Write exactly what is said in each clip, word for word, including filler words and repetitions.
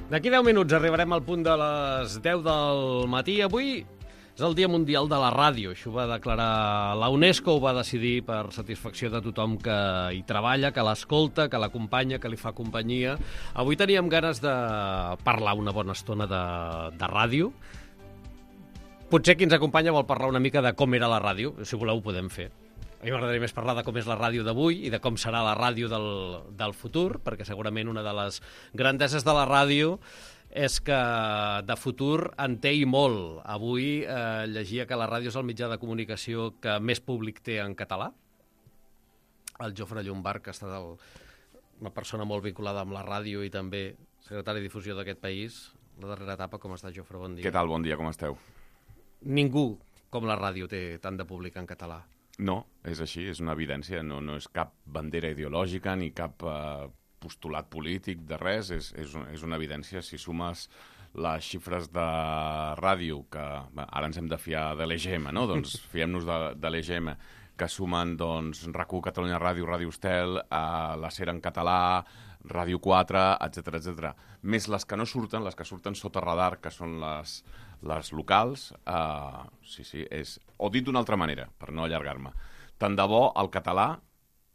D'aquí deu minuts arribarem al punt de les deu del matí. Avui és el Dia Mundial de la Ràdio. Això ho va declarar la UNESCO, ho va decidir per satisfacció de tothom que hi treballa, que l'escolta, que l'acompanya, que li fa companyia. Avui teníem ganes de parlar una bona estona de, de ràdio. Potser qui ens acompanya vol parlar una mica de com era la ràdio. Si voleu, ho podem fer. A mi m'agradaria més parlar de com és la ràdio d'avui i de com serà la ràdio del, del futur, perquè segurament una de les grandeses de la ràdio és que de futur en té i molt. Avui eh, llegia que la ràdio és el mitjà de comunicació que més públic té en català. El Jofre Llombart, que ha estat el, una persona molt vinculada amb la ràdio i també secretari de difusió d'aquest país. La darrera etapa, com està, Jofre? Bon dia. Què tal? Bon dia, com esteu? Ningú com la ràdio té tant de públic en català. No, és així, és una evidència, no, no és cap bandera ideològica ni cap eh, postulat polític de res, és, és, un, és una evidència. Si sumes les xifres de ràdio, que bé, ara ens hem de fiar de l'E G M, no? Doncs fiem-nos de, de l'E G M, que sumen doncs, RAC u, Catalunya Ràdio, Ràdio Estel, eh, la SER en català, Ràdio quatre, etcètera, etcètera. Més les que no surten, les que surten sota radar, que són les, les locals, eh, sí, sí, és... O dit d'una altra manera, per no allargar-me, tant de bo el català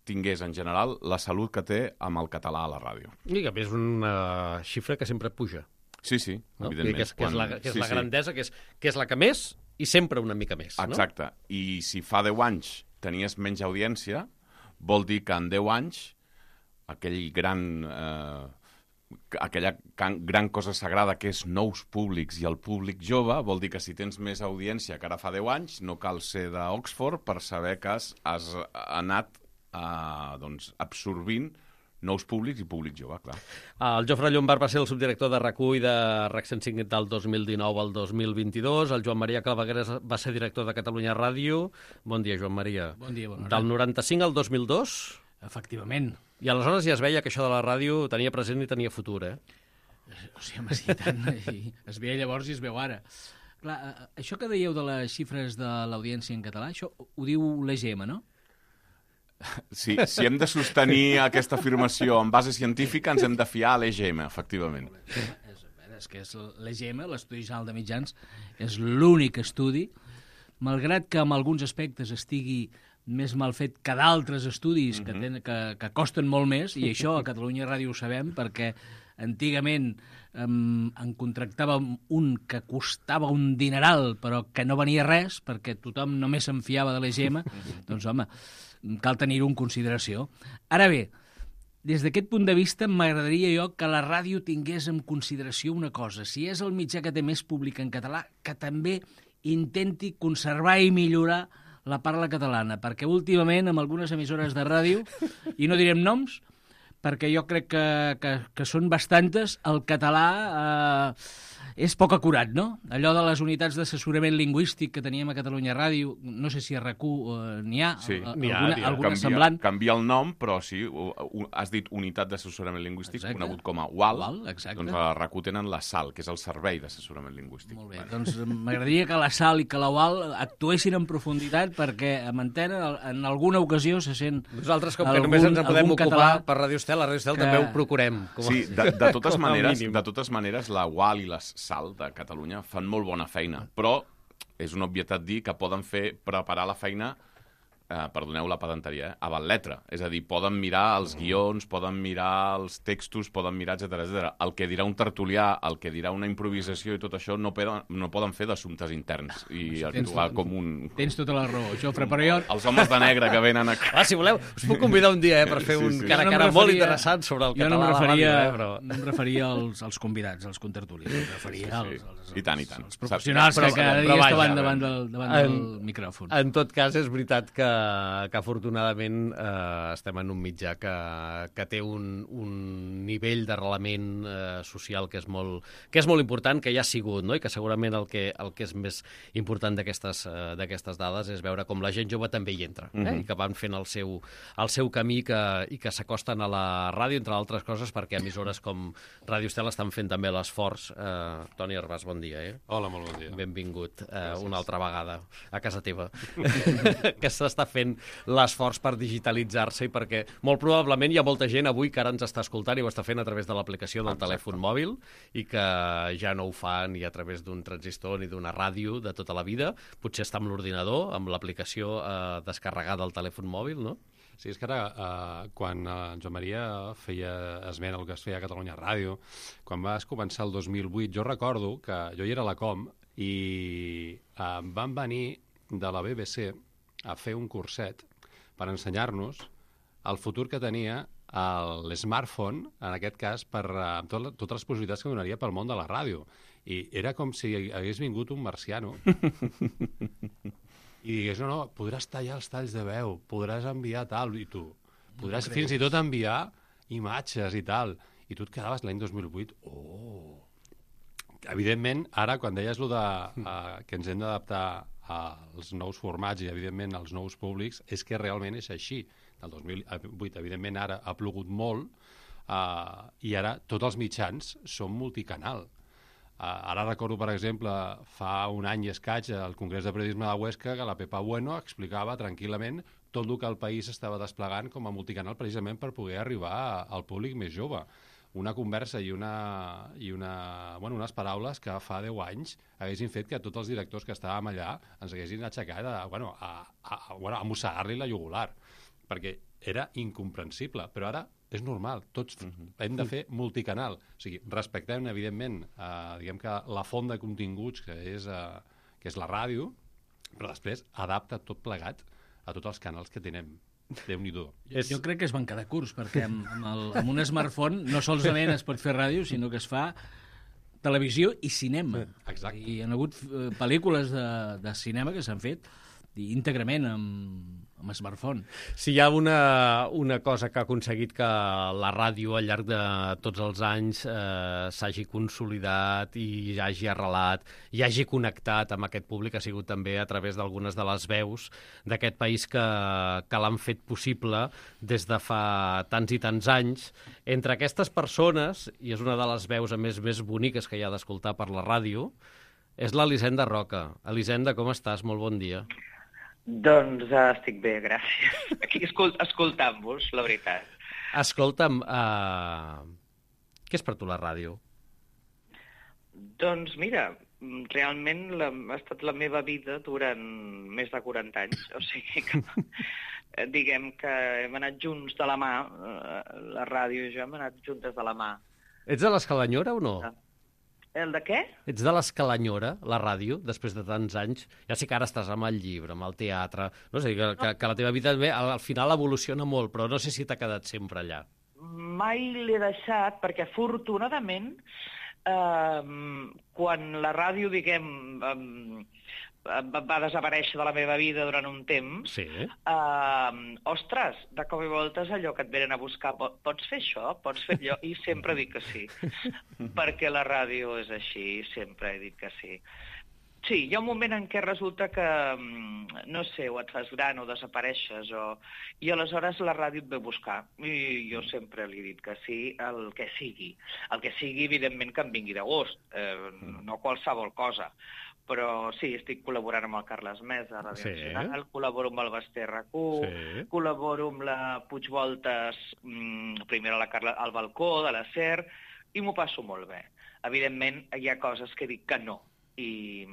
tingués en general la salut que té amb el català a la ràdio. I que és una xifra que sempre puja. Sí, sí, no? evidentment. Que és, que és, la, que és sí, la grandesa, sí. que, és, que és la que més i sempre una mica més. Exacte. No? I si fa deu anys tenies menys audiència, vol dir que en deu anys aquell gran... Eh, aquella gran cosa sagrada que és nous públics i el públic jove, vol dir que si tens més audiència que ara fa deu anys, no cal ser d'Oxford per saber que has, has anat eh, doncs, absorbint nous públics i públic jove, clar. El Jofre Llombart va ser el subdirector de RAC u i de RAC cent cinc del dos mil dinou al dos mil vint-i-dos. El Joan Maria Clavegueras va ser director de Catalunya Ràdio. Bon dia, Joan Maria. Bon dia, bona hora. Del noranta-cinc al dos mil dos. Efectivament. I aleshores ja es veia que això de la ràdio tenia present i tenia futur, eh? O sigui, home, sí, tant. Es veia llavors i es veu ara. Clar, això que dèieu de les xifres de l'audiència en català, això ho diu l'E G M, no? Sí, si hem de sostenir aquesta afirmació en base científica, ens hem de fiar a l'E G M, efectivament. És, és que és l'E G M, l'Estudi General de Mitjans, és l'únic estudi, malgrat que en alguns aspectes estigui més mal fet que d'altres estudis que, ten, que, que costen molt més, i això a Catalunya Ràdio ho sabem, perquè antigament um, en contractàvem un que costava un dineral, però que no venia res, perquè tothom només se'n fiava de l'E G M, doncs, home, cal tenir-ho en consideració. Ara bé, des d'aquest punt de vista, m'agradaria jo que la ràdio tingués en consideració una cosa. Si és el mitjà que té més públic en català, que també intenti conservar i millorar la parla catalana, perquè últimament amb algunes emissores de ràdio, i no direm noms, perquè jo crec que, que, que són bastantes, el català eh, és poc acurat, no? Allò de les unitats d'assessorament lingüístic que teníem a Catalunya Ràdio, no sé si a RAC u eh, n'hi ha, sí, a, n'hi ha, alguna, n'hi ha. alguna Canvia, semblant. Canvia el nom, però sí, has dit unitat d'assessorament lingüístic, exacte. Conegut com a U A L, U A L, doncs a la RAC u tenen la S A L, que és el Servei d'Assessorament Lingüístic. Molt bé, bueno. Doncs m'agradaria que la S A L i que la U A L actuessin en profunditat, perquè a Mantena en alguna ocasió se sent... Nosaltres, com que algun, només ens en podem ocupar per Ràdio Estel, a Ràdio Estel que... també ho procurem. Com a... Sí, de, de, totes maneres, de totes maneres, la U A L i la S A L de Catalunya fan molt bona feina, però és una obvietat dir que poden fer preparar la feina, eh, perdoneu la pedanteria, eh, a val·letra. És a dir, poden mirar els guions, poden mirar els textos, poden mirar, etcètera, etcètera. El que dirà un tertulià, el que dirà una improvisació i tot això no poden, no poden fer d'assumptes interns i actuar tot, com un... Tens tota la raó, Jofre, però jo... Els homes de negre que venen a... Ah, si voleu, us puc convidar un dia eh, per fer un sí, sí. cara a cara no molt interessant sobre el jo català no a la ràdio. Eh, però... No em referia als, als convidats, als contertulis, em referia als, als, als, I tant, i tant. als professionals però, que cada dia estaven davant del, davant en, del micròfon. En tot cas, és veritat que, que afortunadament eh, estem en un mitjà que, que té un, un nivell d'arrelament eh, social que és, molt, que és molt important, que ja ha sigut, no? I que segurament el que, el que és més important d'aquestes eh, d'aquestes dades és veure com la gent jove també hi entra, eh? Uh-huh. I que van fent el seu, el seu camí que, i que s'acosten a la ràdio, entre altres coses, perquè emissores com Ràdio Estel estan fent també l'esforç. Eh, Toni Arbàs, bon dia. Eh? Hola, molt bon dia. Benvingut eh, una altra vegada a casa teva. Que s'està fent l'esforç per digitalitzar-se i perquè molt probablement hi ha molta gent avui que ara ens està escoltant i ho està fent a través de l'aplicació del Exacte. telèfon mòbil i que ja no ho fa ni a través d'un transistor ni d'una ràdio de tota la vida. Potser està amb l'ordinador, amb l'aplicació eh, descarregada al telèfon mòbil, no? Sí, és que ara, eh, quan eh, en Joan Maria feia esment al que es feia a Catalunya Ràdio, quan vas començar el dos mil vuit, jo recordo que jo hi era a la Com i eh, van venir de la B B C a fer un curset per ensenyar-nos el futur que tenia l'smartphone, en aquest cas, per uh, tot, totes les possibilitats que donaria pel món de la ràdio. I era com si hagués vingut un marciano i digués, no, no, podràs tallar els talls de veu, podràs enviar tal, i tu, podràs no fins i tot enviar imatges i tal. I tu et quedaves l'any dos mil vuit, oh! Evidentment, ara, quan deies lo de, uh, que ens hem d'adaptar als nous formats i, evidentment, als nous públics, és que realment és així. El dos mil vuit, evidentment, ara ha plogut molt uh, i ara tots els mitjans són multicanal. Uh, ara recordo, per exemple, fa un any i escaig al Congrés de Periodisme de Huesca que la Pepa Bueno explicava tranquil·lament tot el que el país estava desplegant com a multicanal precisament per poder arribar al públic més jove. Una conversa i, una, i una, bueno, unes paraules que fa deu anys haguessin fet que tots els directors que estàvem allà ens haguessin aixecat a, bueno, a, a, a, bueno, a mossegar-li la jugular, perquè era incomprensible, però ara és normal, tots uh-huh. hem de fer multicanal. O sigui, respectem, evidentment, eh, diguem que la font de continguts que és, eh, que és la ràdio, però després adapta tot plegat a tots els canals que tenim. Déu-n'hi-do. És... Jo crec que es van quedar curts, perquè amb, amb, el, amb un smartphone no solament es pot fer ràdio, sinó que es fa televisió i cinema. Exacte. I hi ha hagut eh, pel·lícules de, de cinema que s'han fet íntegrament amb, amb smartphone. Si hi ha una, una cosa que ha aconseguit que la ràdio al llarg de tots els anys eh, s'hagi consolidat i hagi arrelat i hagi connectat amb aquest públic ha sigut també a través d'algunes de les veus d'aquest país que, que l'han fet possible des de fa tants i tants anys. Entre aquestes persones, i és una de les veus a més més boniques que hi ha d'escoltar per la ràdio, és l'Elisenda Roca. Elisenda, com estàs? Molt bon dia. Doncs uh, estic bé, gràcies. Aquí escolt escoltant-vos, la veritat. Escolta'm, uh, què és per tu la ràdio? Doncs mira, realment la, ha estat la meva vida durant més de quaranta anys. O sigui que, diguem que hem anat junts de la mà, la ràdio i jo hem anat juntes de la mà. Ets de l'Escalanyora o no? El de què? Ets de l'Escalanyora, la ràdio, després de tants anys? Ja sé que ara estàs amb el llibre, amb el teatre... No sé, que, que, que la teva vida bé, al final evoluciona molt, però no sé si t'ha quedat sempre allà. Mai l'he deixat, perquè afortunadament, eh, quan la ràdio, diguem, eh, va desaparèixer de la meva vida durant un temps, sí. eh, ostres, de cop i volta és allò que et venen a buscar, pots fer això, pots fer allò, i sempre dic que sí, perquè la ràdio és així, sempre he dit que sí. Sí, hi ha un moment en què resulta que, no sé, o et fas gran o desapareixes, o... i aleshores la ràdio et ve a buscar. I jo sempre li he dit que sí, el que sigui. El que sigui, evidentment, que em vingui de gust, eh, no qualsevol cosa. Però sí, estic col·laborant amb el Carles Mesa a Ràdio sí. Nacional, col·laboro amb el Basté R Q, sí. col·laboro amb la Puigvoltes, mmm, primer a la Carla, al balcó de la SER, i m'ho passo molt bé. Evidentment, hi ha coses que dic que no, i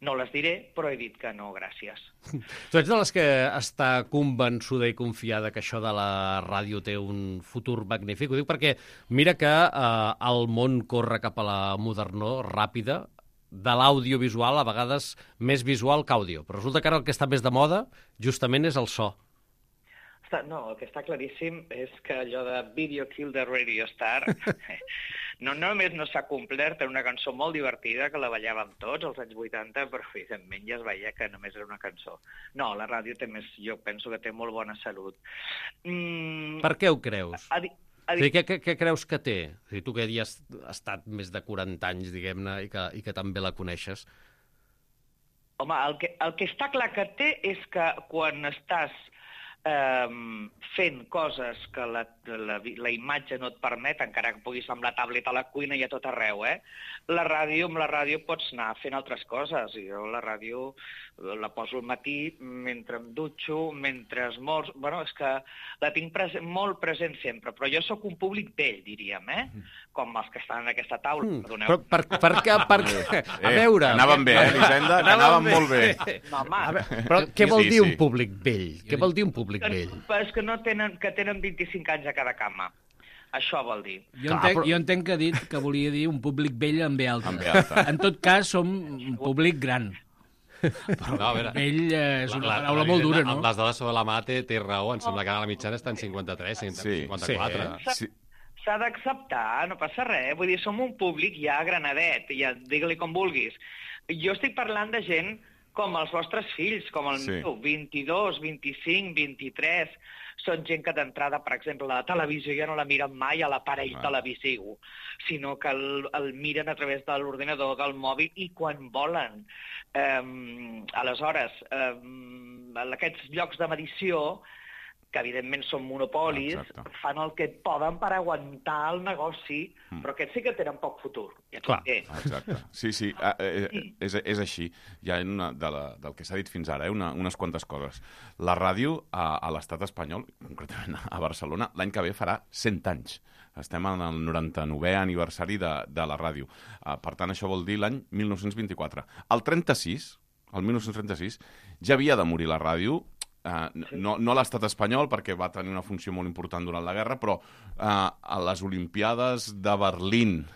no les diré, però he dit que no, gràcies. Tu ets de les que està convençuda i confiada que això de la ràdio té un futur magnífic? Ho dic perquè mira que eh, el món corre cap a la modernor ràpida, de l'audiovisual, a vegades més visual que àudio. Però resulta que ara el que està més de moda justament és el so. No, el que està claríssim és que allò de Video Kill the Radio Star no només no s'ha complert, era una cançó molt divertida que la ballàvem tots als anys vuitanta, però evidentment ja es veia que només era una cançó. No, la ràdio té més, jo penso que té molt bona salut. Mm... Per què ho creus? A di O sigui, què, què, què creus que té? O sigui, tu que ja has estat més de quaranta anys, diguem-ne, i, que, i que també la coneixes. Home, el que, el que està clar que té és que quan estàs Um, fent coses que la, la, la imatge no et permet, encara que puguis amb la tablet a la cuina i a tot arreu, eh? La ràdio, amb la ràdio pots anar fent altres coses. I jo la ràdio la poso al matí mentre em dutxo, mentre esmorzo... Bueno, és que la tinc present, molt present sempre, però jo sóc un públic vell, diríem, eh? Com els que estan en aquesta taula. Mm, Perdoneu. però per, per, què, per, què? A Eh, veure... Anàvem bé, eh, Elisenda? Que anàvem molt bé. No, home, A veure, però què vol Sí, dir sí. un públic vell? Què vol dir un públic que, vell? és que no tenen, que tenen vint-i-cinc anys a cada cama. Això vol dir. Jo Clar, entenc, però- jo entenc que ha dit que volia dir un públic vell amb B alta. Amb B alta. En tot cas, som un públic gran. No, a veure, Vell eh, és una la- paraula la molt dura, Elisenda, no? Amb les dades sobre la mà té, té raó, em sembla que ara la mitjana està en cinquanta-tres, Sí, cinquanta-quatre. sí. S'ha d'acceptar, no passa res. Vull dir, som un públic ja granadet, ja digue-li com vulguis. Jo estic parlant de gent com els vostres fills, com el Sí. meu, vint-i-dos, vint-i-cinc, vint-i-tres. Són gent que d'entrada, per exemple, la televisió ja no la miren mai a l'aparell Ah. televisiu, sinó que el, el miren a través de l'ordinador, del mòbil, i quan volen. Um, aleshores, um, aquests llocs de medició, que evidentment són monopolis, Exacte. fan el que poden per aguantar el negoci, Mm. però aquests sí que tenen poc futur. Ja t'ho Clar. diré. Exacte. Sí, sí, ah, eh, és, és així. Hi ha una, de la, del que s'ha dit fins ara, eh, una, unes quantes coses. La ràdio a, a l'estat espanyol, concretament a Barcelona, l'any que ve farà cent anys. Estem en el noranta-novè aniversari de, de la ràdio. Uh, per tant, això vol dir l'any mil nou-cents vint-i-quatre. El trenta-sis, el mil nou-cents trenta-sis, ja havia de morir la ràdio. Uh, no, no a l'estat espanyol, perquè va tenir una funció molt important durant la guerra, però uh, a les Olimpiades de Berlín,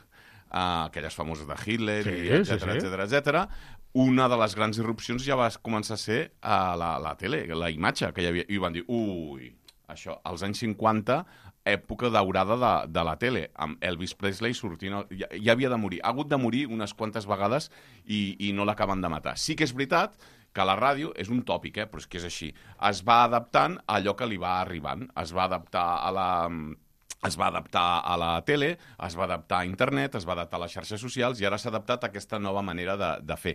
uh, aquelles famoses de Hitler, Sí, i sí, etcètera, sí. etcètera, etcètera, una de les grans irrupcions ja va començar a ser a la, la tele, la imatge que hi havia. I van dir, ui, això, als anys cinquanta, època daurada de, de la tele, amb Elvis Presley sortint... Ja, ja havia de morir. Ha hagut de morir unes quantes vegades i, i no l'acaben de matar. Sí que és veritat que la ràdio és un tòpic, eh? Però és que és així. Es va adaptant a allò que li va arribant. Es va adaptar a la... Es va adaptar a la tele, es va adaptar a internet, es va adaptar a les xarxes socials i ara s'ha adaptat a aquesta nova manera de, de fer.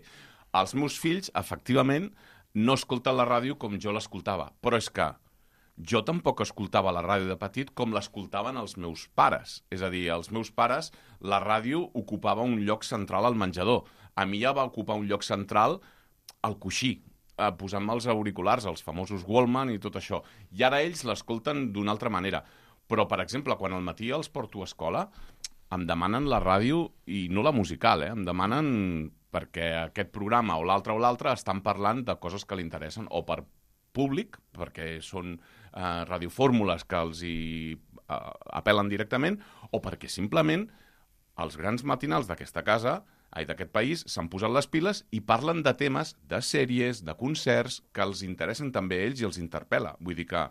Els meus fills, efectivament, no escolten la ràdio com jo l'escoltava, però és que jo tampoc escoltava la ràdio de petit com l'escoltaven els meus pares. És a dir, els meus pares, la ràdio ocupava un lloc central al menjador. A mi ja va ocupar un lloc central al coixí, eh, posant-me els auriculars, els famosos Walkman i tot això. I ara ells l'escolten d'una altra manera. Però, per exemple, quan al matí els porto a escola, em demanen la ràdio, i no la musical, eh? Em demanen perquè aquest programa o l'altre o l'altre estan parlant de coses que li interessen, o per públic, perquè són eh, radiofórmules que els hi eh, apel·len directament, o perquè simplement els grans matinals d'aquesta casa, ai, d'aquest país, s'han posat les piles i parlen de temes, de sèries, de concerts, que els interessen també a ells i els interpel·la. Vull dir que,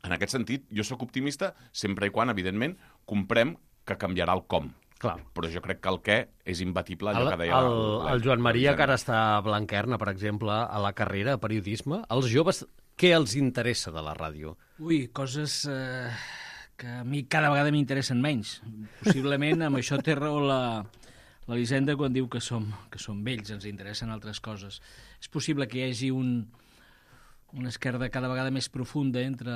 en aquest sentit, jo sóc optimista sempre i quan, evidentment, comprem que canviarà el com. Clar. Però jo crec que el què és imbatible, allò El, que deia... el, la- el Joan Maria, la- que ara està a Blanquerna, per exemple, a la carrera de periodisme, els joves, què els interessa de la ràdio? Ui, coses eh, que a mi cada vegada m'interessen menys. Possiblement amb això té raó la, l'Elisenda quan diu que som, que som vells, ens interessen altres coses. És possible que hi hagi un, una esquerda cada vegada més profunda entre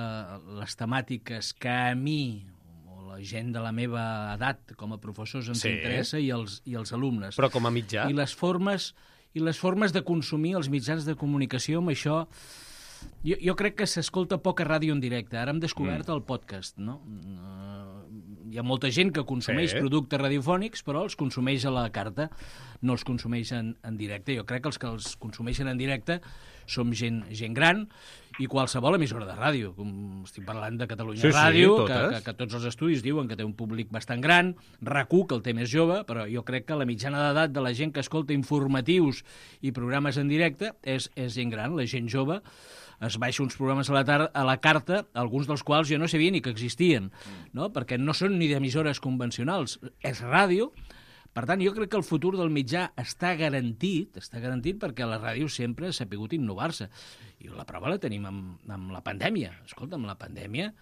les temàtiques que a mi o la gent de la meva edat com a professors ens Sí. interessa i els, i els alumnes. Però com a mitjà? I les formes i les formes de consumir els mitjans de comunicació, amb això jo, jo crec que s'escolta poca ràdio en directe. Ara hem descobert mm. el podcast, no? Uh, hi ha molta gent que consumeix Sí. productes radiofònics, però els consumeix a la carta, no els consumeix en, en directe. Jo crec que els que els consumeixen en directe som gent, gent gran i qualsevol emissora de ràdio. Com estic parlant de Catalunya Sí, sí, Ràdio, que, totes. que, que tots els estudis diuen que té un públic bastant gran, RAC1, que el té més jove, però jo crec que la mitjana d'edat de la gent que escolta informatius i programes en directe és, és gent gran, la gent jove es baixa uns programes a la, tar a la carta, alguns dels quals jo no sabia ni que existien, no? Perquè no són ni d'emissores convencionals, és ràdio. Per tant, jo crec que el futur del mitjà està garantit, està garantit perquè la ràdio sempre s'ha pogut innovar-se. I la prova la tenim amb, amb la pandèmia. Escolta, amb la pandèmia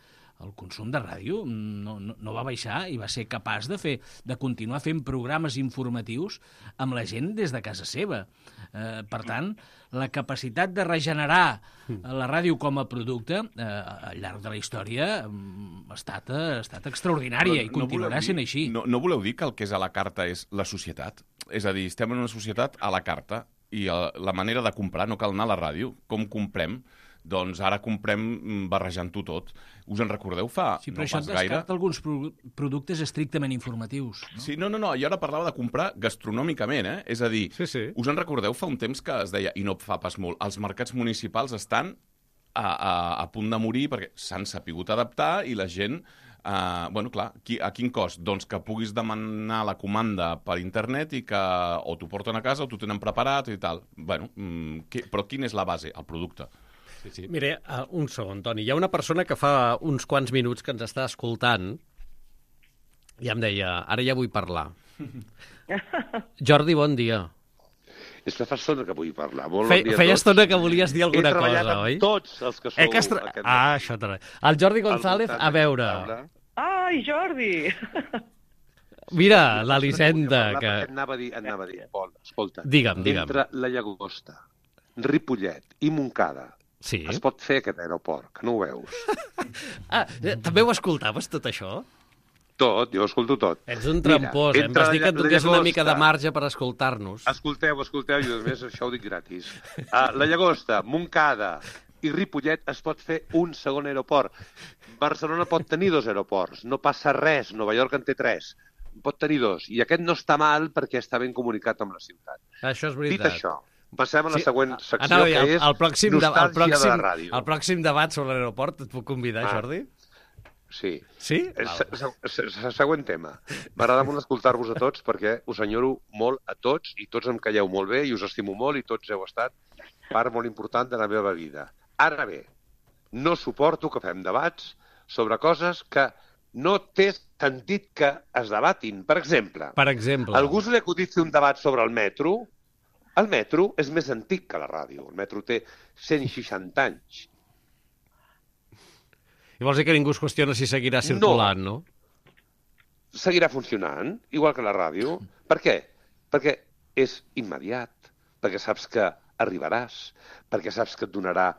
el consum de ràdio no, no, no va baixar i va ser capaç de fer de continuar fent programes informatius amb la gent des de casa seva. Eh, per tant, la capacitat de regenerar la ràdio com a producte eh, al llarg de la història ha estat, ha estat extraordinària i continuarà sent així. No, no voleu dir que el que és a la carta és la societat? És a dir, estem en una societat a la carta i la manera de comprar, no cal anar a la ràdio. Com comprem? Doncs ara comprem barrejant-ho tot. Us en recordeu fa sí, però no això pas gaire? descarta alguns pro productes estrictament informatius. No? Sí, no, no, no, jo ara parlava de comprar gastronòmicament, eh? És a dir, sí, sí. us en recordeu fa un temps que es deia, i no fa pas molt, els mercats municipals estan a, a, a punt de morir perquè s'han sapigut adaptar i la gent... Uh, bueno, clar, qui, a quin cost? Doncs que puguis demanar la comanda per internet i que o t'ho porten a casa o t'ho tenen preparat i tal. Bueno, mm, que, però quina és la base? El producte. Sí, sí. Mire, uh, un segon, Toni. Hi ha una persona que fa uns quants minuts que ens està escoltant i em deia, ara ja vull parlar. Jordi, bon dia. És que fa estona que vull parlar. Molt Fe, bon dia feia a tots. estona que volies dir alguna cosa, oi? He treballat amb tots els que sou... Eh, que estra... aquest Ah, matí. això també. El Jordi González, a veure... Ai, Jordi! Mira, l'Elisenda, que... Et anava a dir, et anava a dir, Pol, escolta. Digue'm, digue'm. Entre la Llagosta, Ripollet i Montcada Sí. es pot fer aquest aeroport, que no ho veus. Ah, també ho escoltaves, tot això? Tot, jo ho escolto tot. Ets un trampós, Mira, eh? Em vas dir que et la donés una Llagosta- mica de marge per escoltar-nos. Escolteu, escolteu, i a més això ho dic gratis. Uh, la Llagosta, Montcada i Ripollet es pot fer un segon aeroport. Barcelona pot tenir dos aeroports, no passa res, Nova York en té tres. Pot tenir dos, i aquest no està mal perquè està ben comunicat amb la ciutat. Això és Dit veritat. això, passem a la Sí, següent a- secció, anava a dir, que el, és el pròxim, de, el, nostàlgia pròxim, de la ràdio. el pròxim debat sobre l'aeroport et puc convidar, Ah. Jordi? Sí. Sí? El Val. se- se- se- següent tema. M'agrada molt escoltar-vos a tots perquè us enyoro molt a tots i tots em calleu molt bé i us estimo molt i tots heu estat part molt important de la meva vida. Ara bé, no suporto que fem debats sobre coses que no té sentit que es debatin. Per exemple, Per exemple. a algú se li ha acudit fer un debat sobre el metro? El metro és més antic que la ràdio. El metro té cent seixanta anys. I vols dir que ningú es qüestiona si seguirà circulant, no? Seguirà funcionant, igual que la ràdio. Per què? Perquè és immediat, perquè saps que arribaràs, perquè saps que et donarà...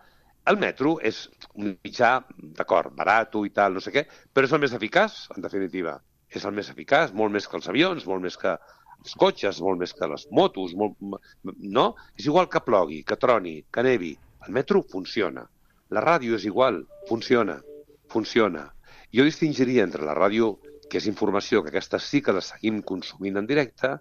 El metro és un mitjà, d'acord, barat i tal, no sé què, però és el més eficaç, en definitiva. És el més eficaç, molt més que els avions, molt més que els cotxes, molt més que les motos, molt... no? És igual que plogui, que troni, que nevi. El metro funciona. La ràdio és igual, funciona. Funciona. Jo distingiria entre la ràdio, que és informació, que aquesta sí que la seguim consumint en directe,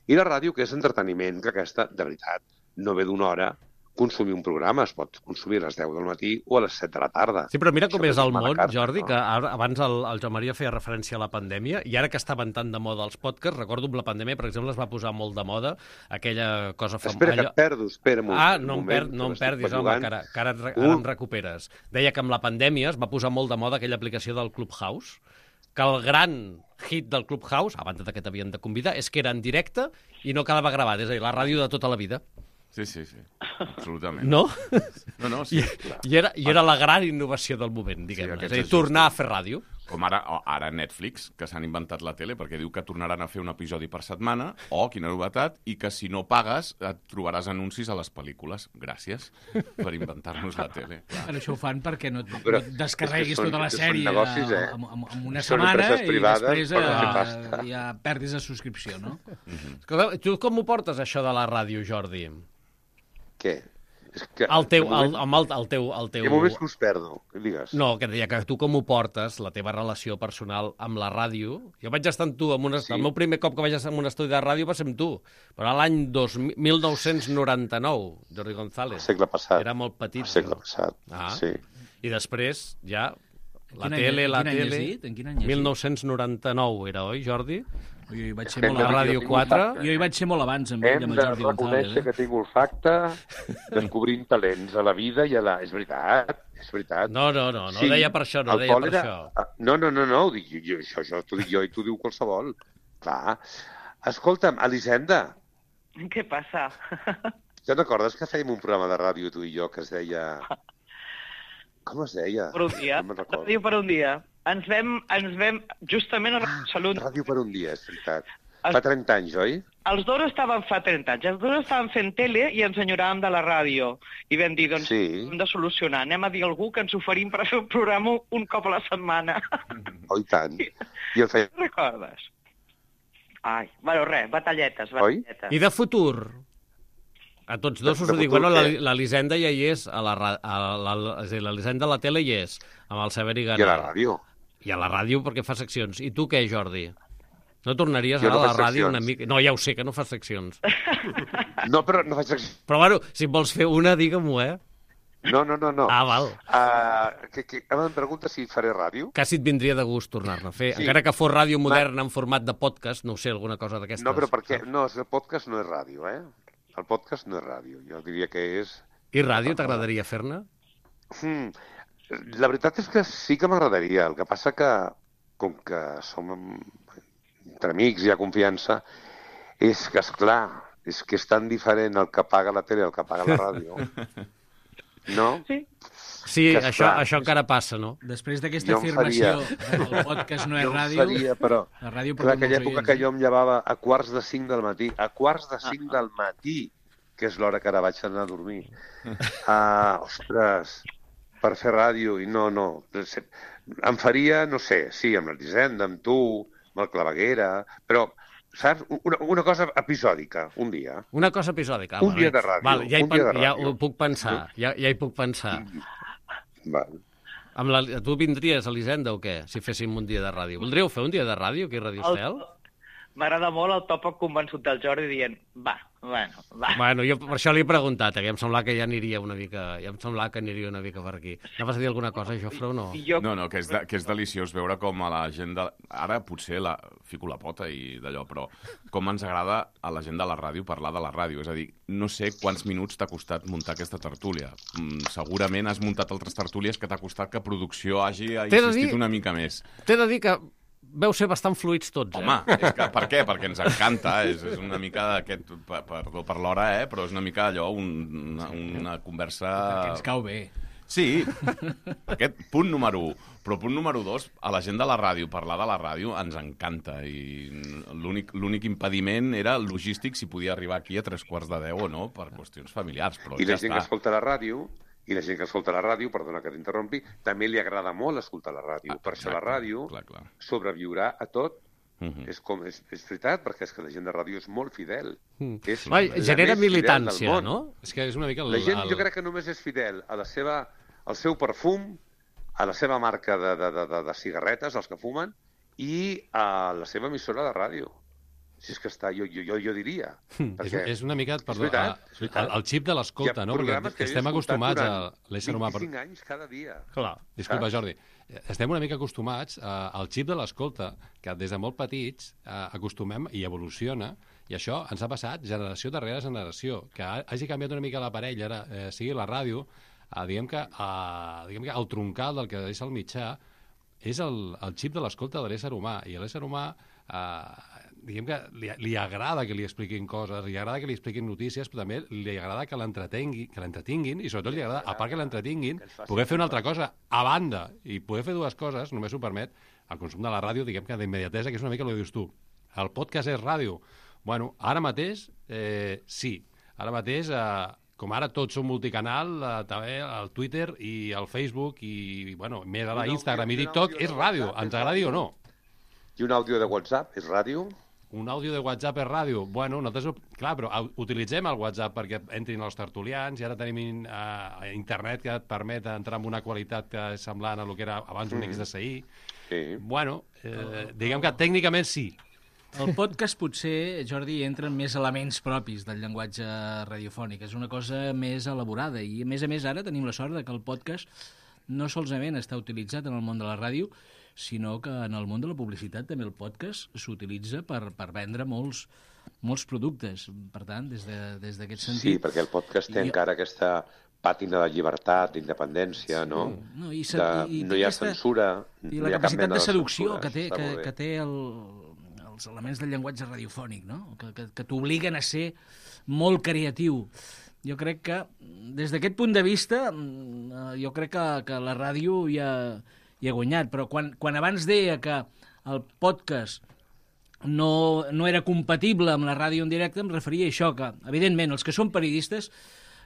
i la ràdio, que és entreteniment, que aquesta, de veritat, no ve d'una hora consumir un programa, es pot consumir a les deu del matí o a les set de la tarda. Sí, però mira com Això és que el mala món, carta, Jordi, no? que ara, abans el, el Joan Maria feia referència a la pandèmia, i ara que estaven tan de moda els podcasts, recordo amb la pandèmia, per exemple, es va posar molt de moda aquella cosa... fam- Espera que allò- et perdo, espera un Ah, un no em, moment, per, no em que m'estic perdis, home, bellugant. que ara, que ara, et re- Un- ara em recuperes. Deia que amb la pandèmia es va posar molt de moda aquella aplicació del Clubhouse, que el gran hit del Clubhouse, a banda de que t'havien de convidar, és que era en directe i no quedava gravat, és a dir, la ràdio de tota la vida. Sí, sí, sí, absolutament. No? No, no, sí. I, i, era, I era la gran innovació del moment, diguem-ne. aquests és a dir, ajustos. tornar a fer ràdio. Com ara, o ara Netflix, que s'han inventat la tele, perquè diu que tornaran a fer un episodi per setmana, o, quina novetat, i que si no pagues et trobaràs anuncis a les pel·lícules. Gràcies per inventar-nos la tele. Clar. Però això ho fan perquè no, Però no et descarreguis és que són- tota la són sèrie negocis, eh? amb, amb, amb una Són setmana empreses i privades després per fer eh, pasta. ja perdis la subscripció, no? Escolta, tu com ho portes, això de la ràdio, Jordi? Què? És que El teu, de el, moment- amb el, el teu, el teu... Hi ha moments que us perdo, que digues. No, que deia que tu com ho portes, la teva relació personal amb la ràdio... Jo vaig estar amb tu, amb una... Sí. el meu primer cop que vaig estar en un estudi de ràdio va ser amb tu, però a l'any dos mil- mil nou-cents noranta-nou, Jordi González. Segle passat. Era molt petit. Segle jo. passat, Ah. sí. I després, ja, la Quin any- tele, la quin any has tele... dit? En quin any has dit? mil nou-cents noranta-nou era, oi, Jordi? Jo hi vaig ser que molt La hem de- abans. Ràdio tinc quatre... un Jo hi vaig ser molt abans amb ell, Hem amb de el Jordi reconèixer González. que tinc olfacte, descobrint talents a la vida i a la... És veritat, és veritat. No, no, no, no deia per això, no el deia Pol per era- això. No, no, no, no, ho dic jo, això, això t'ho dic jo i t'ho diu qualsevol. Clar. Escolta'm, Elisenda, Què passa? te'n recordes que fèiem un programa de ràdio tu i jo que es deia... Com es deia? Per un dia. No me'n recordo. Ràdio per un dia. Ens vam, ens vam justament a Ràdio Salut. Ràdio per un dia, és veritat. Fa trenta anys, oi? Els dos estaven fa trenta anys. Els dos estaven fent tele i ens enyoràvem de la ràdio. I vam dir, doncs, Sí. hem de solucionar. Anem a dir a algú que ens oferim per fer un programa un cop a la setmana. Oh, i tant. I el feia... Recordes? Ai, bueno, res, batalletes, Oi? batalletes. I de futur? A tots dos De- us de ho dic. futur, Bueno, la- què? l'Elisenda ja hi és, a la, ra- a la, és a dir, l'Elisenda a la tele hi és, amb el Saber i I a Ganar. la ràdio. I a la ràdio perquè fa seccions. I tu què, Jordi? No tornaries Jo ara no a la faig ràdio una seccions. mica... No, ja ho sé, que no fas seccions. No, però no faig... Però, bueno, si en vols fer una, digue-m'ho, eh? No, no, no, no. Ah, val. Uh, que, que, ara em pregunta si faré ràdio. Quasi et vindria de gust tornar-ne a fer. Sí. Encara que fos ràdio moderna en format de podcast, no ho sé, alguna cosa d'aquestes. No, però perquè... No, el podcast no és ràdio, eh? El podcast no és ràdio. Jo diria que és... I ràdio t'agradaria fer-ne? Hmm. La veritat és que sí que m'agradaria. El que passa que, com que som entre amics i hi ha confiança, és que, esclar, és que és tan diferent el que paga la tele i el que paga la ràdio. No? Sí. Sí, Que això, esclar. això encara passa, no? Després d'aquesta Jo em afirmació, faria- el podcast no és Jo en ràdio, faria, però... la ràdio Clar, porta aquella molts època oients, que jo em llevava a quarts de cinc del matí, a quarts de cinc del matí, que és l'hora que ara vaig anar a dormir. Ah, ostres, per fer ràdio, i no, no. Em faria, no sé, sí, amb l'Elisenda, amb tu, amb el Claveguera, però, saps, una, una cosa episòdica, un dia. Una cosa episòdica. Un dia de ràdio, Val, ja, hi, un dia de pen- ja ràdio. ho puc pensar, ja, ja hi puc pensar. Val. Amb la, tu vindries a l'Hisenda o què, si féssim un dia de ràdio? Voldríeu fer un dia de ràdio aquí a Radio El- Estel? M'agrada molt el to poc convençut del Jordi dient, va, bueno, va. Bueno, jo per això li he preguntat, eh, que em semblava que ja aniria una mica, ja em semblava que aniria una mica per aquí. Anaves a dir alguna cosa, Jofre, o no? I jo, No, no, que és, de, que és deliciós veure com a la gent de... Ara potser la, fico la pota i d'allò, però com ens agrada a la gent de la ràdio parlar de la ràdio. És a dir, no sé quants minuts t'ha costat muntar aquesta tertúlia. Mm, segurament has muntat altres tertúlies que t'ha costat que producció hagi T'he de dir- insistit una mica més. T'he de dir que veu ser bastant fluids tots, eh? Home, és que, per què? Perquè ens encanta, és, és una mica d'aquest... per- Perdó per l'hora, eh? Però és una mica allò, un, una, una conversa... perquè ens cau bé. Sí, aquest punt número un. Però punt número dos, a la gent de la ràdio, parlar de la ràdio ens encanta i l'únic l'únic impediment era logístic si podia arribar aquí a tres quarts de deu o no, per qüestions familiars, però I ja la gent que està. escolta la ràdio, i la gent que escolta la ràdio, perdona que t'interrompi, també li agrada molt escoltar la ràdio. Ah, per això la exacte, ràdio clar, clar. sobreviurà a tot. Mhm. És, com, és, és veritat, perquè és que la gent de ràdio és molt fidel. És Vai, la genera més fidel del militància, món. no? És que és una mica... El, La gent, el... jo crec que només és fidel a la seva, al seu perfum, a la seva marca de, de, de, de, de cigarretes, els que fumen, i a la seva emissora de ràdio. Si és que està, jo, jo, jo, jo diria. És, és una mica, perdó, veritat, a- és veritat. el, el xip de l'escolta, no? Perquè estem acostumats a l'ésser humà... Per... vint-i-cinc anys cada dia. Clar. Disculpa, Saps? Jordi. Estem una mica acostumats a, al xip de l'escolta, que des de molt petits eh, acostumem i evoluciona, i això ens ha passat generació darrere generació, que ha- hagi canviat una mica l'aparell, ara eh, sigui la ràdio, eh, diguem, que, eh, diguem que el troncal del que és el mitjà és el, el xip de l'escolta de l'ésser humà, i l'ésser humà eh, diguem que li, li agrada que li expliquin coses, li agrada que li expliquin notícies, però també li agrada que l'entretengui, que l'entretinguin, i sobretot li agrada, a part que l'entretinguin, poder fer una altra cosa a banda, i poder fer dues coses només ho permet el consum de la ràdio, diguem que d'immediatesa, que és una mica el que dius tu. El podcast és ràdio. Bueno, ara mateix, eh, sí. Ara mateix, eh, com ara tots som multicanal, eh, també el Twitter i el Facebook i, bueno, més ara Un Instagram i àudio- un TikTok àudio és de ràdio, WhatsApp ens és agradi o no. I un àudio de WhatsApp és ràdio? Un àudio de WhatsApp és ràdio? Bueno, nosaltres, clar, però au- utilitzem el WhatsApp perquè entrin els tertulians i ara tenim eh, internet que et permet entrar amb una qualitat que és semblant a el que era abans un X D S I. Sí. Bueno, eh, diguem que tècnicament sí. El podcast potser, Jordi, entren més elements propis del llenguatge radiofònic. És una cosa més elaborada i, a més a més, ara tenim la sort de que el podcast no solament està utilitzat en el món de la ràdio, sinó que en el món de la publicitat també el podcast s'utilitza per, per vendre molts, molts productes. Per tant, des d'aquest de, des sentit... Sí, perquè el podcast té I- encara aquesta pàtina de llibertat, d'independència, no? No, i, De, i, i no hi ha aquesta- censura, I no la hi ha cap capacitat mena de seducció censura, que té, està que, molt bé. que té el, els elements del llenguatge radiofònic, no? que, que, que t'obliguen a ser molt creatiu. Jo crec que, des d'aquest punt de vista, mm, eh, jo crec que, que la ràdio ja, i ha guanyat. Però quan, quan abans deia que el podcast no, no era compatible amb la ràdio en directe, em referia a això, que, evidentment, els que són periodistes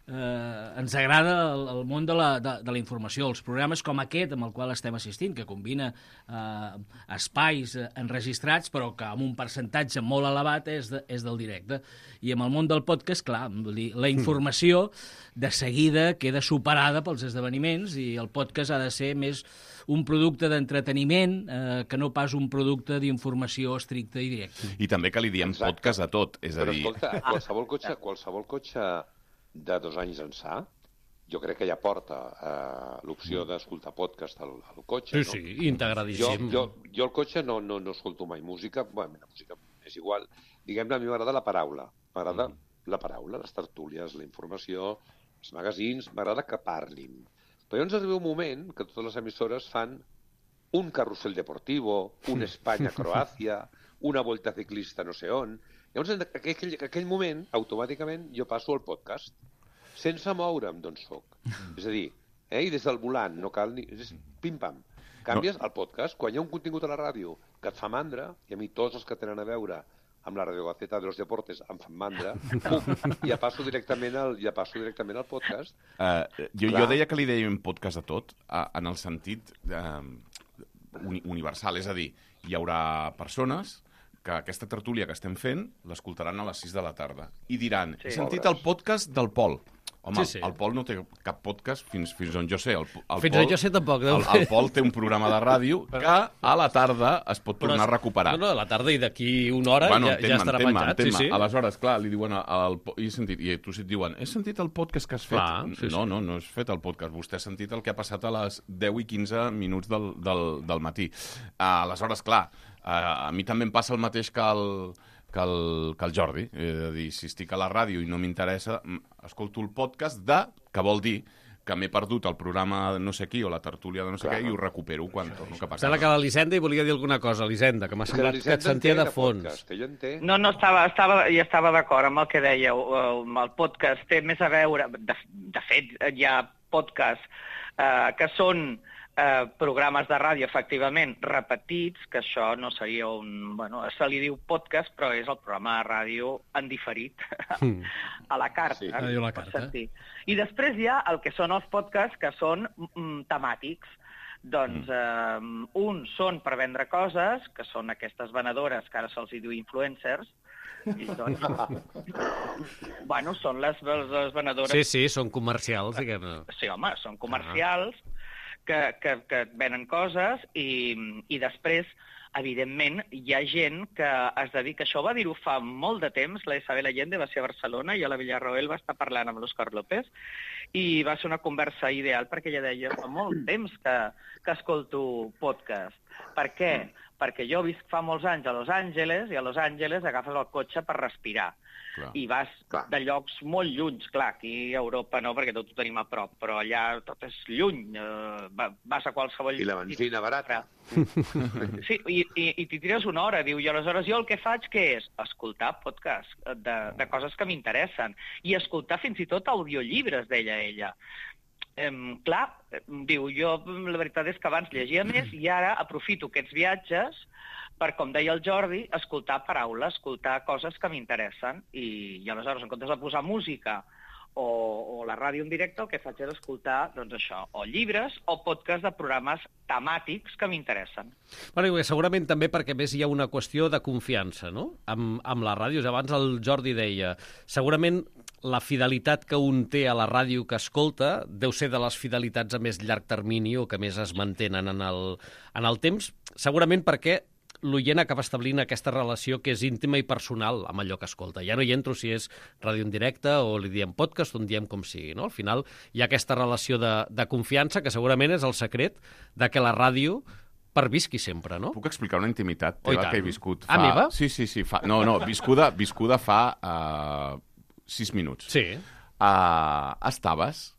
eh, ens agrada el, el món de la, de, de la informació, els programes com aquest amb el qual estem assistint, que combina eh, espais enregistrats, però que amb un percentatge molt elevat és, de, és del directe. I amb el món del podcast, clar, vull dir, la informació de seguida queda superada pels esdeveniments i el podcast ha de ser més un producte d'entreteniment eh, que no pas un producte d'informació estricta i directa. I també que li diem Exacte. podcast a tot, és a Però dir... escolta, qualsevol cotxe, qualsevol cotxe de dos anys ençà, jo crec que ja porta eh, l'opció d'escoltar podcast al, al cotxe, Sí, no? sí, Jo, integradíssim. jo, jo al cotxe no, no, no escolto mai música, bueno, la música és igual. Diguem-ne, a mi m'agrada la paraula, m'agrada mm. la paraula, les tertúlies, la informació, els magazins, m'agrada que parlin. Però llavors arriba un moment que totes les emissores fan un carrusel deportivo, un Espanya-Croàcia, una volta ciclista no sé on. Llavors, en aquell, aquell moment, automàticament, jo passo al podcast, sense moure'm d'on soc. És a dir, eh, i des del volant, no cal ni... És pim-pam. Canvies no. al podcast, quan hi ha un contingut a la ràdio que et fa mandra, i a mi tots els que tenen a veure amb la Radio Gaceta de los Deportes em fan mandra, pum, ja passo directament al, ja passo directament al podcast. Uh, jo, jo deia que li dèiem podcast a tot, uh, en el sentit uh, uni universal, és a dir, hi haurà persones que aquesta tertúlia que estem fent l'escoltaran a les sis de la tarda i diran, sí, he sentit pobres. El podcast del Pol. Home, sí, sí. El Pol no té cap podcast fins, fins on jo sé. El, el fins Pol, on jo sé tampoc. No? El, el Pol té un programa de ràdio que a la tarda es pot tornar Però, a recuperar. No, no, a la tarda i d'aquí una hora bueno, ja, ja estarà penjat. Sí, sí. Aleshores, clar, li diuen... El, he sentit, i tu si et diuen, he sentit el podcast que has fet? Clar, sí, no, sí. no, no has fet el podcast. Vostè ha sentit el que ha passat a les deu i quinze minuts del, del, del matí. Uh, aleshores, clar, uh, a mi també em passa el mateix que el... Que el, que el Jordi, és a dir, si estic a la ràdio i no m'interessa, escolto el podcast de, que vol dir que m'he perdut el programa de no sé qui o la tertúlia de no sé Clar. Què i ho recupero quan torno cap a casa. Sembla que l'Elisenda hi volia dir alguna cosa, Elisenda, que m'ha semblat que, que et sentia de fons. Podcast, no, no, estava, estava, ja estava d'acord amb el que dèieu. El podcast té més a veure... De, de fet, hi ha podcasts eh, que són Eh, programes de ràdio, efectivament, repetits, que això no seria un... Bueno, se li diu podcast, però és el programa de ràdio en diferit, mm. a la carta. Sí, a la carta. I després hi ha el que són els podcasts que són mm, temàtics. Doncs mm. eh, uns són per vendre coses, que són aquestes venedores, que ara se'ls diu influencers, i doncs... bueno, són les, les venedores... Sí, sí, són comercials, diguem-ne. Sí, home, són comercials... Ah. Que, que, que et venen coses i, i després, evidentment, hi ha gent que es dedica... Això va dir-ho fa molt de temps, la Isabel Allende va ser a Barcelona i a la Villarroel va estar parlant amb l'Òscar López i va ser una conversa ideal perquè ella deia fa molt temps que, que escolto podcast. Per què? Perquè jo visc fa molts anys a Los Angeles i a Los Angeles agafes el cotxe per respirar. Clar. I vas clar. De llocs molt llunys, clar, aquí a Europa no, perquè tot ho tenim a prop, però allà tot és lluny, eh, vas a qualsevol... I la benzina barata. Sí, i, i, i t'hi tires una hora, diu, i aleshores jo el que faig què és? Escoltar podcasts de, de coses que m'interessen, i escoltar fins i tot audiollibres, deia ella. Eh, clar, diu, jo la veritat és que abans llegia més i ara aprofito aquests viatges per, com deia el Jordi, escoltar paraules, escoltar coses que m'interessen. I, I aleshores, en comptes de posar música o, o la ràdio en directe, el que faig és escoltar, doncs això, o llibres o podcasts de programes temàtics que m'interessen. Bueno, segurament també perquè més hi ha una qüestió de confiança, no?, amb, amb la ràdio. Abans el Jordi deia, segurament la fidelitat que un té a la ràdio que escolta deu ser de les fidelitats a més llarg termini o que més es mantenen en el, en el temps, segurament perquè l'oient acaba establint aquesta relació que és íntima i personal amb allò que escolta. Ja no hi entro si és ràdio en directe o li diem podcast o en diem com sigui, no? Al final hi ha aquesta relació de, de confiança que segurament és el secret de que la ràdio pervisqui sempre, no? Puc explicar una intimitat teva que he viscut fa... Ah, meva? Sí, sí, sí. Fa... No, no, viscuda, viscuda fa uh, sis minuts. Sí. Uh, estaves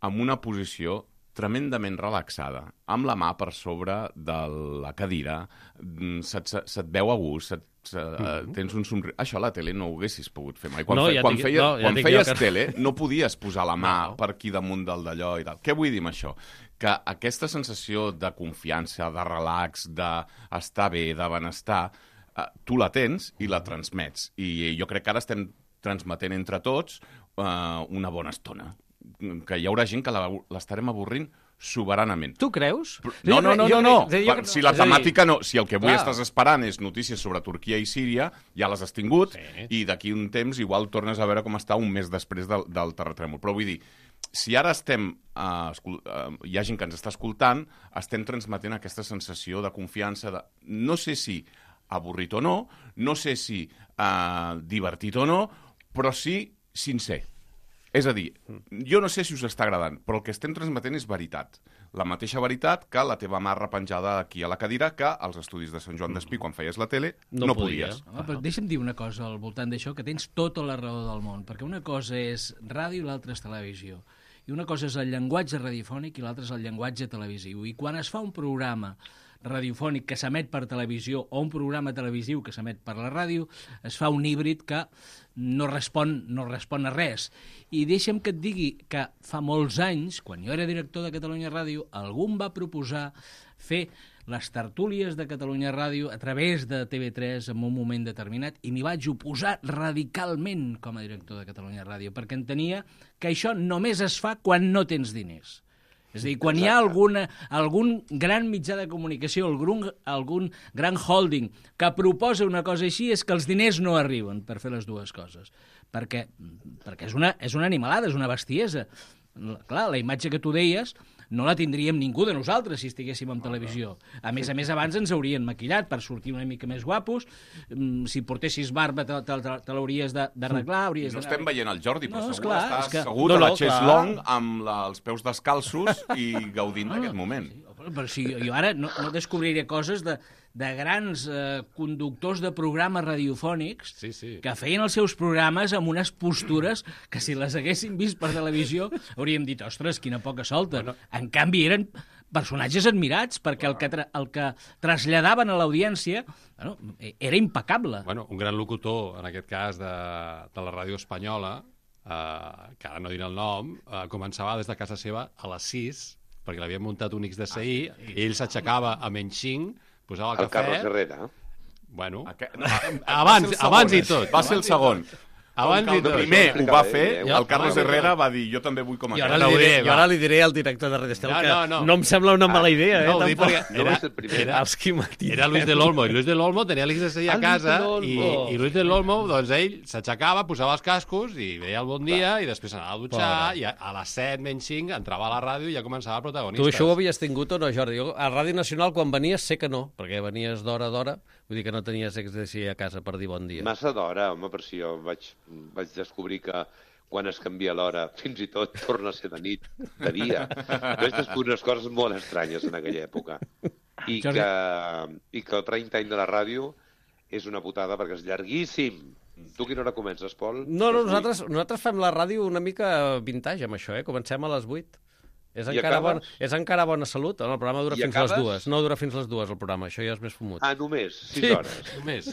en una posició tremendament relaxada, amb la mà per sobre de la cadira, se't, se't veu a gust, se't, se, mm-hmm. tens un somriure... Això a la tele no ho haguessis pogut fer mai. Quan, no, fe, ja quan, dic, feies, no, ja quan feies que... tele no podies posar la mà no. per aquí damunt del d'allò i tal. Què vull dir amb això? Que aquesta sensació de confiança, de relax, d'estar bé, de benestar, eh, tu la tens i la transmets. I jo crec que ara estem transmetent entre tots eh, una bona estona. Que hi haurà gent que l'estarem avorrint soberanament. Tu creus? No, no, no, no, no. Jo, si la temàtica no, si el que avui estàs esperant és notícies sobre Turquia i Síria, ja les has tingut, sí. I d'aquí un temps igual tornes a veure com està un mes després del, del terratrèmol. Però vull dir, si ara estem, uh, escol... uh, hi ha gent que ens està escoltant, estem transmetent aquesta sensació de confiança, de no sé si avorrit o no, no sé si uh, divertit o no, però sí sincer. És a dir, jo no sé si us està agradant, però el que estem transmetent és veritat. La mateixa veritat que la teva mà repenjada aquí a la cadira, que als estudis de Sant Joan d'Espí, quan feies la tele, no, no podies. Home, però deixa'm dir una cosa al voltant d'això, que tens tota la raó del món, perquè una cosa és ràdio i l'altra és televisió. I una cosa és el llenguatge radiofònic i l'altra és el llenguatge televisiu. I quan es fa un programa radiofònic que s'emet per televisió o un programa televisiu que s'emet per la ràdio, es fa un híbrid que no respon, no respon a res. I deixa'm que et digui que fa molts anys, quan jo era director de Catalunya Ràdio, algú em va proposar fer les tertúlies de Catalunya Ràdio a través de T V tres en un moment determinat i m'hi vaig oposar radicalment com a director de Catalunya Ràdio, perquè entenia que això només es fa quan no tens diners. És a dir, quan Exacte. Hi ha alguna, algun gran mitjà de comunicació, algun, algun gran holding que proposa una cosa així, és que els diners no arriben per fer les dues coses. Perquè, perquè és, una, és una animalada, és una bestiesa. Clar, la imatge que tu deies no la tindríem ningú de nosaltres si estiguéssim en televisió. A més a més, abans ens haurien maquillat per sortir una mica més guapos. Si portessis barba te, te, te, te l'hauries d'arreglar. Hauries no estem veient el Jordi, però no, segur clar, estàs que... segut no, a la no, Chess Long amb la, els peus descalços i gaudint d'aquest moment. Sí, però si jo ara no, no descobriré coses de, de grans eh, conductors de programes radiofònics sí, sí. que feien els seus programes amb unes postures que si les haguéssim vist per televisió hauríem dit, ostres, quina poca solta. Bueno. En canvi, eren personatges admirats perquè el que, tra el que traslladaven a l'audiència bueno, era impecable. Bueno, un gran locutor, en aquest cas, de, de la ràdio espanyola, eh, que ara no diré el nom, eh, començava des de casa seva a les sis, perquè l'havien muntat un X D S I, ah, sí. I ell s'aixecava a menys cinc, posava el, el cafè... El Carlos Herrera. Bueno, Aqu... abans, abans i tot. Va ser el segon. Abans i tot. Primer ho va fer, el Carlos Herrera va dir jo també vull com a I ara, li diré, jo ara li diré al director de Red Estel no, que no, no. no em sembla una mala idea, eh? No, tampoc. Era, era, els qui era Luis del Olmo, i Luis del Olmo tenia l'X D S I a casa, i, i Luis del Olmo, doncs ell s'aixecava, posava els cascos, i veia el bon dia, i després anava a dutxar, i a, a les set menys cinc entrava a la ràdio i ja començava el protagonista. Tu això ho havies tingut o no, Jordi? Jo, a Ràdio Nacional, quan venies, sé que no, perquè venies d'hora a d'hora, vull dir que no tenies X D S I a casa per dir bon dia. Massa d'hora, home, per si jo vaig, vaig descobrir que quan es canvia l'hora fins i tot torna a ser de nit, de dia. Aquestes unes coses molt estranyes en aquella època. I que, i que el prime time de la ràdio és una putada perquè és llarguíssim. Tu quina hora comences, Pol? No, no, nosaltres, nosaltres fem la ràdio una mica vintage amb això, eh? Comencem a les vuit. És encara, bon, és encara bona salut. El programa dura I fins acabes? les dues. No dura fins les dues, el programa. Això ja és més fumut. Ah, només? Sis sí. hores? Només.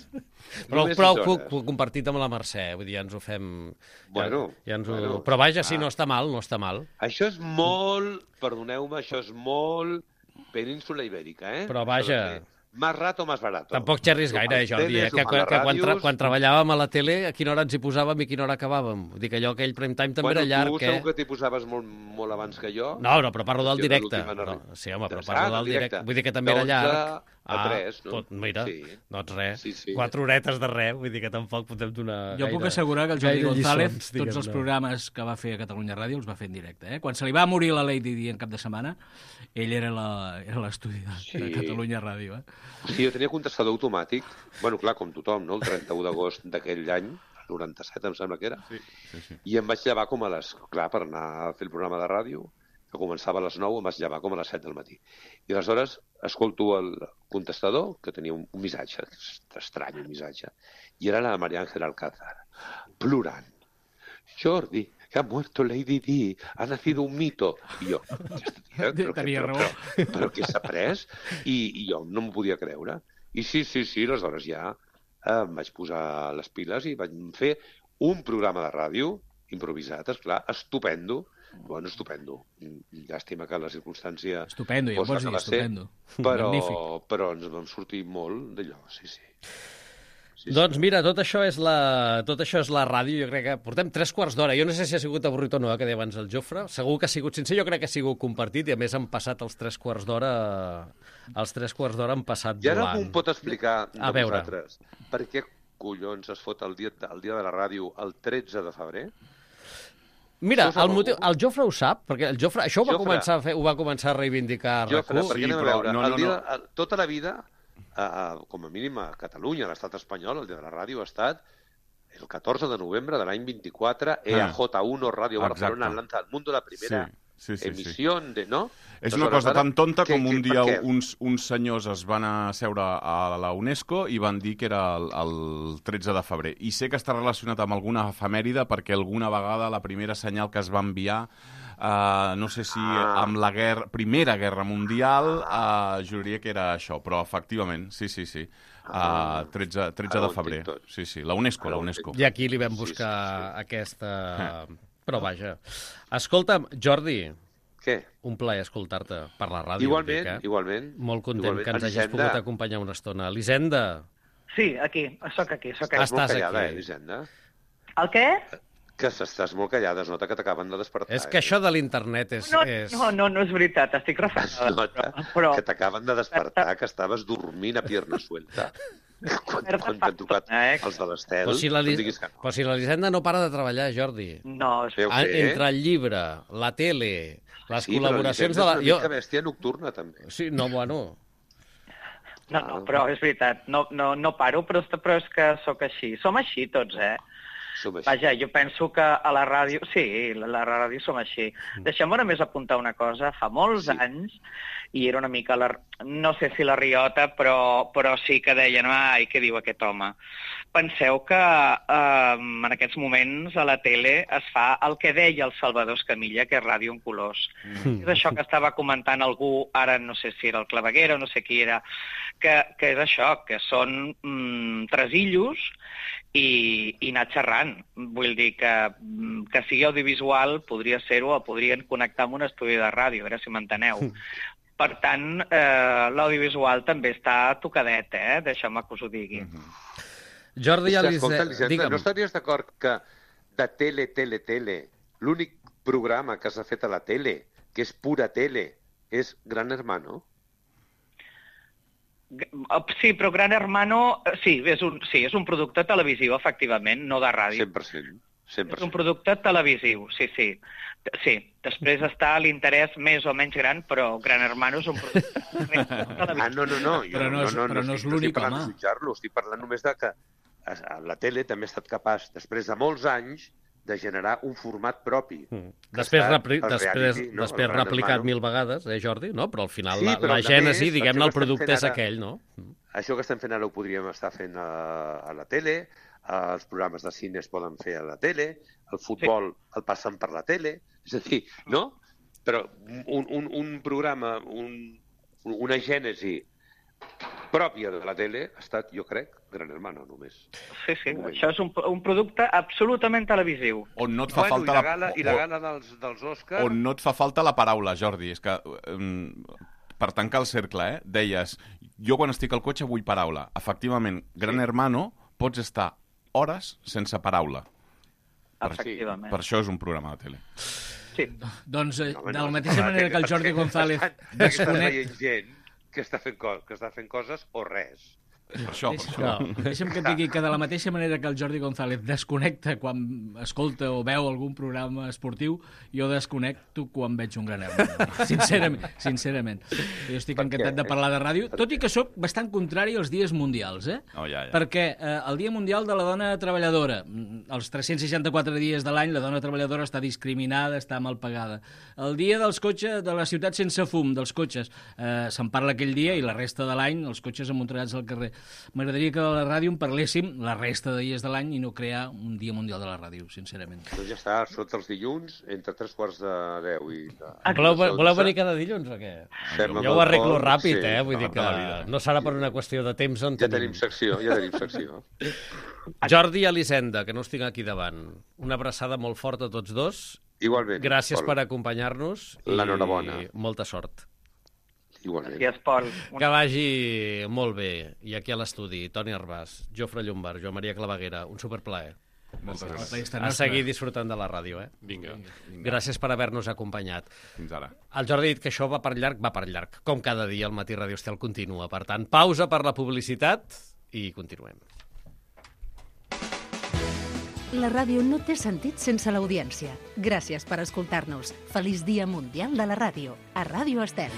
Però, només però ho, ho compartit amb la Mercè. Vull dir, ja ens ho fem... Bueno, ja, ja ens ho... bueno. Però vaja, sí, ah. no està mal, no està mal. Això és molt... Perdoneu-me, això és molt... Península Ibèrica, eh? Però vaja... Más rato, más barato. Tampoc xerris gaire, eh, Jordi, eh? que, que, que quan, tra quan treballàvem a la tele, a quina hora ens hi posàvem i a quina hora acabàvem. Vull dir que allò, aquell prime time també bueno, era llarg, tu eh? segur que t'hi posaves molt, molt abans que jo. No, no, però parlo del directe. No, sí, home, però parlo del directe. Vull dir que també era llarg. A tres, no? Tot, mira, sí. doncs res, sí, sí. quatre horetes de res, vull dir que tampoc podem donar Jo gaire, puc assegurar que el Jordi González, lliçons, tots els programes que va fer a Catalunya Ràdio els va fer en directe. Eh? Quan se li va morir la Lady Di en cap de setmana, ell era l'estudi de, sí. de Catalunya Ràdio. Eh? Sí, jo tenia contestador automàtic, bueno, clar, com tothom, no? El trenta-u d'agost d'aquell any, noranta-set em sembla que era, sí, sí, sí. I em vaig llevar com a les... Clar, per anar a fer el programa de ràdio, que començava a les nou, em vaig llevar com a les set del matí. I aleshores escolto el contestador, que tenia un, un missatge, estrany un missatge, i era la María Ángel Alcázar, plorant. Jordi, que ha muerto Lady Di, ha nacido un mito. I jo, tia, però, Tenia però, raó. però, però què s'ha pres? I, I jo no m'ho podia creure. I sí, sí, sí, aleshores ja eh, em vaig posar les piles i vaig fer un programa de ràdio improvisat, esclar, estupendo. Bueno, estupendo. Llàstima que la circumstància... Estupendo, ja ho pots dir, estupendo. Però, Magnífic. però ens vam sortir molt d'allò, sí, sí. Sí, Doncs mira, tot això és la, tot això és la ràdio. Jo crec que portem tres quarts d'hora. Jo no sé si ha sigut avorrit o no, eh, que deia abans el Jofre. Segur que ha sigut sincer, jo crec que ha sigut compartit i a més han passat els tres quarts d'hora... Els tres quarts d'hora han passat I ara volant. m'ho pot explicar de A veure. vosaltres per què collons es fot el dia, el dia de la ràdio el tretze de febrer? Mira, Això us el, motiu, el Jofre ho sap, perquè el Jofre, això ho va, Jofre. començar a fer, ho va començar a reivindicar a Jofre, RAC1. perquè Sí, anem a però veure, no, el no, dia, no. el- tota la vida, uh, com a mínim a Catalunya, a l'estat espanyol, el dia de la ràdio ha estat el catorze de novembre de l'any vint-i-quatre, E A J uno, Radio Barcelona, Exacte. lanza al mundo la primera Sí, sí, sí, sí. emisión de... ¿no? És una Aleshores, cosa ara, tan tonta què- com un què- dia per què? uns, uns senyors es van asseure a la UNESCO i van dir que era el, el tretze de febrer. I sé que està relacionat amb alguna efemèride perquè alguna vegada la primera senyal que es va enviar, uh, no sé si Ah. amb la guerra, Primera Guerra Mundial, uh, juraria que era això, però efectivament, sí, sí, sí. Uh, tretze, tretze Ara de ho febrer. entenc tot. Sí, sí, la UNESCO, Ara la ho UNESCO. I aquí li vam Sí, buscar sí, aquesta... Però vaja. Escolta'm, Jordi, Què? un plaer escoltar-te per la ràdio. Igualment, dic, eh? igualment. Molt content igualment. que ens hagis Elisenda, pogut acompanyar una estona. Elisenda, Sí, aquí, sóc aquí, sóc Estàs aquí. molt Estàs callada, aquí. eh, Elisenda? El què? Que estàs molt callada, es nota que t'acaben de despertar. és que eh? això de l'internet és... No, és... no, no, no és veritat, estic Es refredada. nota Però, que t'acaben de despertar, que estaves dormint a pierna suelta. Quan, quan t'han trucat Eh? els de l'Estel, Però si la, no em diguis que no. però si l'Elisenda no para de treballar, Jordi. no, és... Feu A, què? entre el llibre, la tele, les Sí, però col·laboracions de l'Elisenda la... és una mica bèstia nocturna, també. Sí, no, bueno... No, no, però és veritat, no, no, no paro, però, però és que sóc així. Som així tots, eh? Som així. Vaja, jo penso que a la ràdio... Sí, a la ràdio som així. Deixem-me només apuntar una cosa. Fa molts Sí. anys, i era una mica la... No sé si la riota, però, però sí que deien, ai, què diu aquest home? Penseu que eh, en aquests moments a la tele es fa el que deia el Salvador Escamilla, que és ràdio en colors. Mm. És això que estava comentant algú, ara no sé si era el Claveguera o no sé qui era, que, que és això, que són mm, tresillos i, i anar xerrant. Vull dir que, mm, que sigui audiovisual podria ser-ho o podrien connectar amb un estudi de ràdio, a veure si m'enteneu. Per tant, eh, l'audiovisual també està tocadet, eh? Deixeu-me que us ho digui. Mhm. Jordi És que, Elisenda... escolta, Elisenda, Digue'm. no estaries d'acord que de tele, tele, tele, l'únic programa que s'ha fet a la tele, que és pura tele, és Gran Hermano? G- Sí, però Gran Hermano, eh, sí, és un, sí, és un producte televisiu, efectivament, no de ràdio. cent per cent. cent per És un cent. producte televisiu, sí, sí. Sí, després està l'interès més o menys gran, però Gran Hermano és un producte televisiu. Ah, no, no, no. Jo, Però no és- però no és estic- l'únic, estic parlant home. de jutjar-lo, estic parlant només de que a la tele també ha estat capaç, després de molts anys, de generar un format propi. Mm. que Després, ha estat repli el després, reality, no? després El Gran replicat Hermano. mil vegades, eh, Jordi? No? Però al final Sí, la, però la a gènesi, més, diguem-ne, això el que estem producte fent és ara- aquell, no? Això que estem fent ara ho podríem estar fent a, a la tele, eh, els programes de cine es poden fer a la tele, el futbol sí. el passen per la tele, és a dir, no? Però un, un, un programa, un, una gènesi pròpia de la tele ha estat, jo crec, Gran Hermano, només. Sí, sí, això és un, un producte absolutament televisiu. On no et fa Bueno, falta i la gala, i la o- gala dels, dels Oscars... on no et fa falta la paraula, Jordi. És que, um, per tancar el cercle, eh, deies, jo quan estic al cotxe vull paraula. Efectivament, Gran Sí. Hermano, pots estar hores sense paraula. Per, Efectivament. per això és un programa de tele. Sí. Doncs eh, No, home, de no, la mateixa perquè- manera que el Jordi perquè González estàs- perquè estàs desconec... veient gent que està fent, co que està fent coses o res. Per això, per Deixa- això. No. Deixa'm que et digui que de la mateixa manera que el Jordi González desconnecta quan escolta o veu algun programa esportiu, jo desconnecto quan veig un Gran Hermano. Sincerament, sincerament. Jo estic encantat de parlar de ràdio, tot i que sóc bastant contrari als dies mundials, eh? Oh, ja, ja. Perquè eh, el Dia Mundial de la Dona Treballadora, mm, els tres-cents seixanta-quatre dies de l'any, la dona treballadora està discriminada, està mal pagada. El dia dels cotxes, de la ciutat sense fum, dels cotxes, eh, se'n parla aquell dia i la resta de l'any els cotxes amuntegats al carrer. m'agradaria que a la ràdio en parléssim la resta de dies de l'any i no crear un Dia Mundial de la Ràdio, sincerament. Doncs ja està, sota els dilluns, entre tres quarts de deu i... De... Voleu, voleu venir cada dilluns o què? Fem Jo ho arreglo Pol, ràpid, sí, eh? Vull dir que no serà per una qüestió de temps on Ja tenim secció, ja tenim secció. Jordi i Elisenda, que no us tinc aquí davant. Una abraçada molt forta a tots dos. Igualment. Gràcies Pol. per acompanyar-nos. L'enhorabona. I molta sort. Igualment. Gràcies, Pol. Que vagi molt bé. I aquí a l'estudi, Toni Arbàs, Jofre Llombard, Joan Maria Claveguera, un superplaer. Moltes gràcies. A seguir disfrutant de la ràdio, eh? Vinga. Gràcies per haver-nos acompanyat. Fins ara. El Jordi ha dit que això va per llarg, va per llarg. Com cada dia, el Matí Ràdio Estel continua. Per tant, pausa per la publicitat i continuem. La ràdio no té sentit sense l'audiència. Gràcies per escoltar-nos. Feliç Dia Mundial de la Ràdio. A Ràdio Estel.